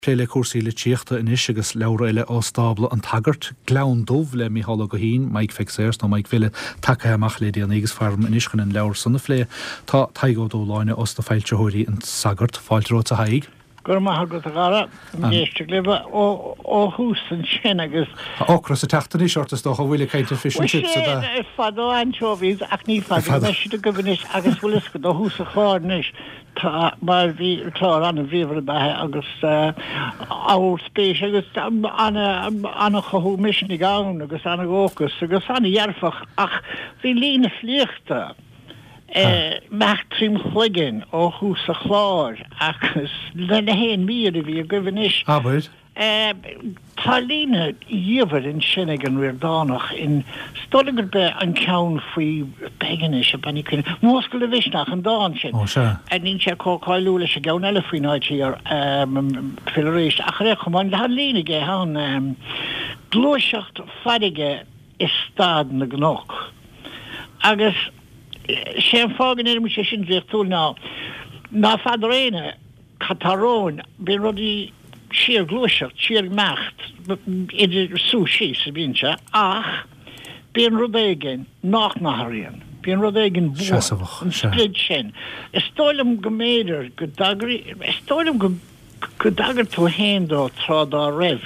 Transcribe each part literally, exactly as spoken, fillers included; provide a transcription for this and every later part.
Plé le cúrsaí litríochta anois agus leabhar eile ó stábla an tSagairt, Gleann Dubh le Micheál Ó Guithín, Mike Pheig Sayers nó Mike Bhille, tagtha amach le déanaí agus faram anois chun an leabhar san a phlé tá Tadhg Ó Dúshláine os na foilsitheoirí an Sagart fáilte romhat a Thaidhg. Go raibh maith agat a Dhara éisteacht libh ó thús ansin agus. Ocras ag teacht anois ort is dócha bhfuil ag caint ar fish and chips a Fadó anchovies ach ní fada leis a go anois agus bhfuil go do thús an chláir anois tá mar bhí clár an-bhríomhar ab ea agus ábhar spéise agus an-chothú misnigh ann agus an-dhóchas agus an-dhearfach ach bhí líne filíochta imeacht tríom chloigeann ó thús an chláir agus le na haon mír a bhí agaibh anois. Abair. Tá líne dhiamhair ansin ag an Ríordánach in is dóigh liom gurb é an ceann faoi beidh anois a Bean Uí Chuinn Múscail do mhisneach an dán sin. Ó sea. Níl sé chomh cáiliúil leis an gceann eile faoin áit thiar fill arís ach ar aon chuma an líne aige ann gluaiseacht farraige i stad na gcnoc. Agus sé an fáth go ndeirim sé sin draíochtúil ná ná feadar éinne cad tá romhainn, bíonn rudaí síorghluaiseacht, síorimeacht, idir suas síos a bhíonn sé, ach bíonn rud éigin nach n-athraíonn, bíonn rud éigin buan, Seasmhach, an sea. sprid sin. Is dóigh liom go mb'fhéidir go dtagraí, is dóigh liom go go dtagair tú féin dó tráth dá raibh,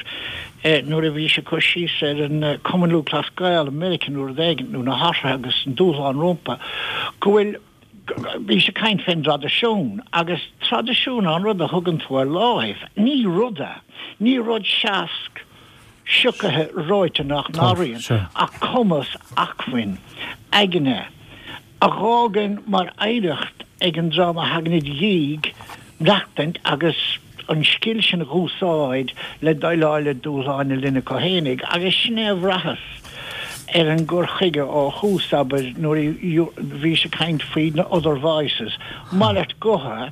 nuair a bhís ag cur síos ar an Cumann Lúthchleas Gael i Meiriceá nó rud éigin, nó na hathruithe agus an dúshlán rompu, go bhfuil bhís ag caint fén dtraidisiún, agus traidisiún an rud a thugann tú ar láimh, ní rud é, ní rud seasc siocaithe reoite nach n-athraíonn, ach cumas, acmhainn, aigne, a dh'fhágann mar oidhreacht ag an dream a thagann id dhiaidh maireachtaint agus an scil sin a dh'úsáid le déileáil le dúshláin na linne acu fhéinig, agus sin é a bhraitheas ar an gcur chuige ó thús, abair, nuair a bhís ag caint faoi na other voices, malairt gutha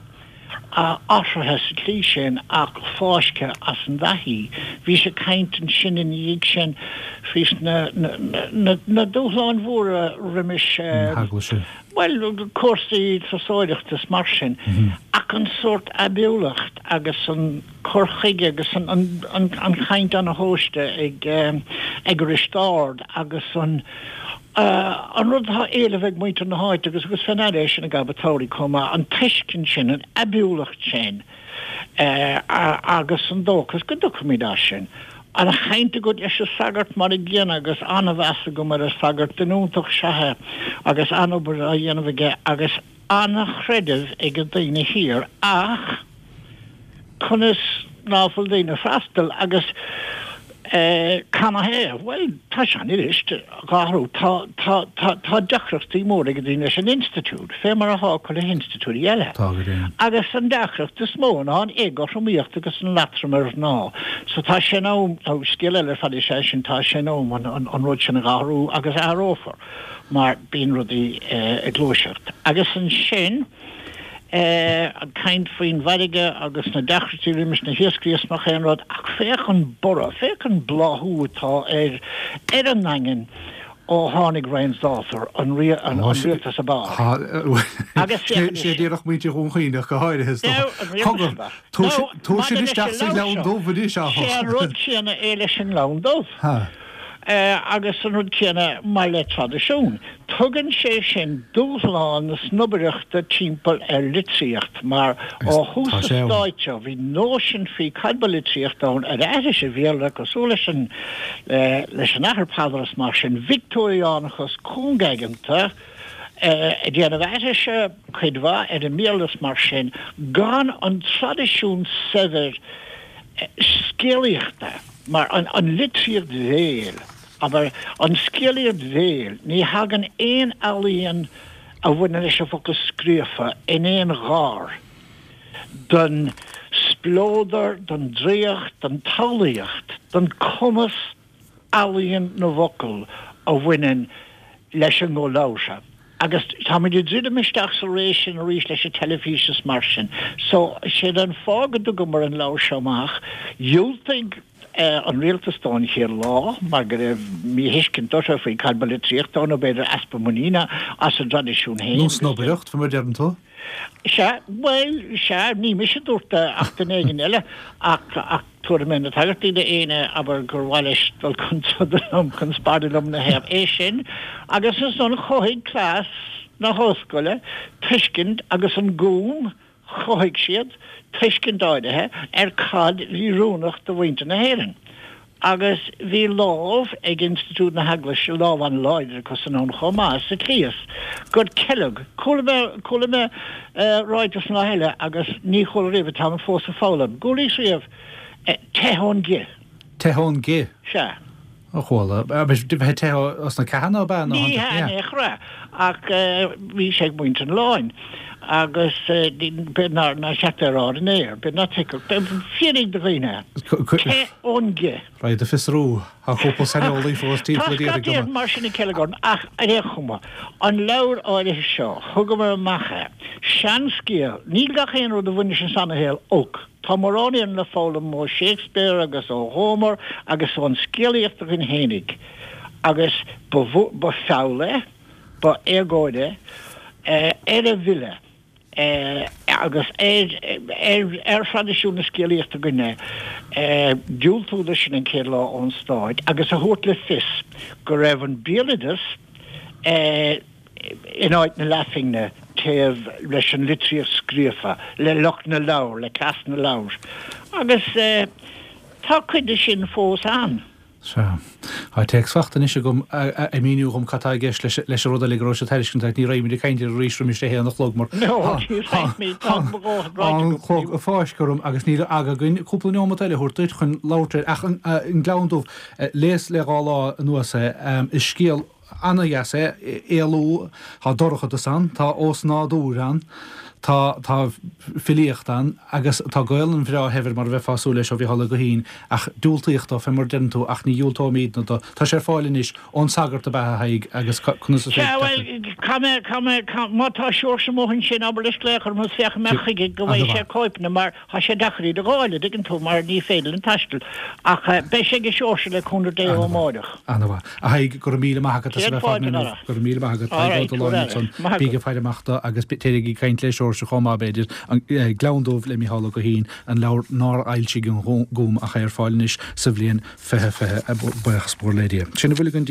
athraithe sa tslí sin ach fáiscthe as an dtaithí. Bhís ag caint ansin ina dhiaidh sin faoi na na dúshláin mhóra roimis, Na heaglaise. bhuel, cúrsaí turasóireachta is mar sin, ach an sórt aibiúlacht agus an cur chuige agus an an an chaint ana-thomhaiste ag ag Risteárd agus an an rud atá éileamh ag muintir na háite agus agus fé ndeara é sin ag Abbot Towery chomh maith, an tuiscint sin, an aibiúlacht sin agus an dóchas go dtiocfaimid as sin. An chaint agat leis an sagart mar an gcéanna agus an-mheas agam ar an sagart, duine iontach is ea é agus an-obair á dhéanamh aige agus an-chreideamh ag an daoine thiar ach conas ná fuil daoine ag freastal agus canathaobh? Bhuel, tá sé an-fhuirist dhá athrú. Tá, tá, tá, tá deacrachtaí móra ag daoine leis an institiúid, fé mar atá acu le hinstitiúidí eile. Tá go deimhin. Agus an deacracht is mó ná an éagothromaíocht agus an leatrom ar mhná. So tá sé in am, nó scéal eile ar fad is ea sin, tá sé in am an, an, an rud sin a dh'athrú agus athrófar mar bíonn rudaí ag gluaiseacht. Agus ansin, ag caint faoin bhfarraige agus na deacrachtaí roimis na hiascairí is nach aon rud ach féach an borradh, féach an bláthú atá ar ar an nDaingean ó tháinig Ryan's Daughter, an rialtas ab fhearr. Agus féach anois. Sé díreach muintir Dhún Chaoin ach go háirithe is dócha. Cogar, tabhair sin isteach sa Ghleann Dubh anois áfach. Sé an rud céanna é leis an nGleann Dubh. Agus an rud céanna mar le traidisiún. Tugann sé sin dúshlán na snobaireachta timpeall ar litríocht mar ó thús an stáit seo bhí nóisean faoi cad ba litríocht ann ar aithris an Bhéarla cosúil leis an leis an Athair Peadar is mar sin, Victeoiriánachas cúngaigeanta ag déanamh aithrise cuid mhaith ar an mBéarla is mar sin gan an traidisiún saibhir scéalaíochta mar an an litríocht bhéil, abair, an scéalaíocht bhéil, ní thagann aon ealaíon a bhaineann leis an bhfocal scríofa in aon ghar don spleodar, don draíocht, don tsamhlaíocht, don cumas ealaíon na bhfocal a bhaineann leis an nguth labhartha. Agus táimid ag druidim isteach sa ré sin arís leis an teilifís is mar sin. So, sé an fáth go dtugamar an leabhar seo amach, dhiúltaigh an rialtas dó an chéad lá mar go raibh míthuiscint orthu faoi cad ba litríocht ann nó b'fhéidir easpa muiníne as a dtraidisiún féin. Nó snobaireacht, fé mar a deireann tú. Sea, bhuel, sea, ní mise a dúirt é ach duine éigin eile, ach, ach tabharfaidh mé na tagairtí d'éinne abair gur mhaith leis dul chun troda liom, chun spairne liom ina thaobh. É sin, agus ansan chothaigh cleas na hollscoile tuiscint agus an Gúm, Chothaigh siad tuiscint áirithe ar cad bhí oiriúnach do mhuintir na hÉireann. Agus bhí lámh ag institiúid na hEaglaise, lámh an-láidir acu san ann chomh maith, sa tslí is gur ceilg. Chuala mé, chuala mé ráiteas an lá eile agus ní chuala riamh é, táim fós ag foghlaim. Chualaís riamh teith ón gcith. Teith ón gcith? Sea. A chuala. Bheith ag teitheadh os na ceathanna, ab ea? Ní hea in aon chor é, ach bhí sé ag muintir an oileáin agus b'fhéidir nár cheart é a rá ar an aer, b'fhéidir ná tuigfeadh, fiafraigh de dhaoine é. Teith ón gcith. Raghaid ag fiosrú, tá cúpla saineolaí fós timpeall a d'iarraidh dom. Tá scata mar sin ag ceilg orm, ach ar aon chuma, an leabhar áirithe seo, thugamar amach é, seanscéal, níl gach aon rud a bhaineas an seanashaol olc. Tá mórán againn le foghlaim ó Shakespeare agus ó Homer agus ón scéalaíocht againn fhéinig agus ba ba feall é, ba éagóir é ar an bhfile agus ar ar ar thraidisiún na scéalaíochta againne diúltú do sin an chéad lá ón stáit agus a thabhairt le fios go raibh an béaloideas in áit na leathphingne taobh leis an litríocht scríofa, le lucht na leabhar, le cleas na leabhar. Agus tá cuid de sin fós ann. Sea. Tá téacs fachta anois agam ag míniú dhom cad tá i gceist leis an rud eile go raibh sé ag tairiscint ach ní raghaimid ag caint air arís roimis a haon a chlog mar tá an clog ag fáisceadh orm agus níl aga againn cúpla neomat eile a thabhairt duit chun labhairt air ach an Gleann Dubh, léas le dhá lá anuas é, is scéal Ana-dheas é, éalú, tá dorchadas ann, tá ósnádúr ann, tá, tá filíocht ann agus tá Gaolainn bhreá shaibhir mar a bheifeá ag súil leis ó Mhícheál Ó Guithín ach diúltaíodh dó, fé mar a deireann tú, ach ní dhiúltóimídne dó. Tá sé ar fáil anois ón Sagart ab ea, a Thaidhg, agus conas is féidir Sea, bhuel, caithfidh mé, caithfidh mé, caithfidh, má tá Seoirse amuigh ansin, abair leis glaoch orm agus féachfaidh mé chuige go bhfaighidh sé cóipeanna mar Tá sé deacair iad a dh'fháil, a dtuigeann tú, mar ní féidir linn taisteal. Ach beidh sé ag Seoirse le cúnamh Dé ó amáireach. Ana-mhaith. A Thaidhg, go raibh míle maith agat as a Céad bheith fad fáilte, inniu. a chara. Go raibh míle maith agat, All Tadhg Ó right, Dúláin ansan. Maith Bígí agat. ag faire amach dó agus téirigí ag caint le Seoirse chomh maith, b'fhéidir. An Gleann Dubh le Mícheál Ó Guithín, an leabhar nár fhoilsigh an Gúm ach é ar fáil anois sa bhliain fiche fiche. Buíochas mór le Dia. Sin a bhfuil againn.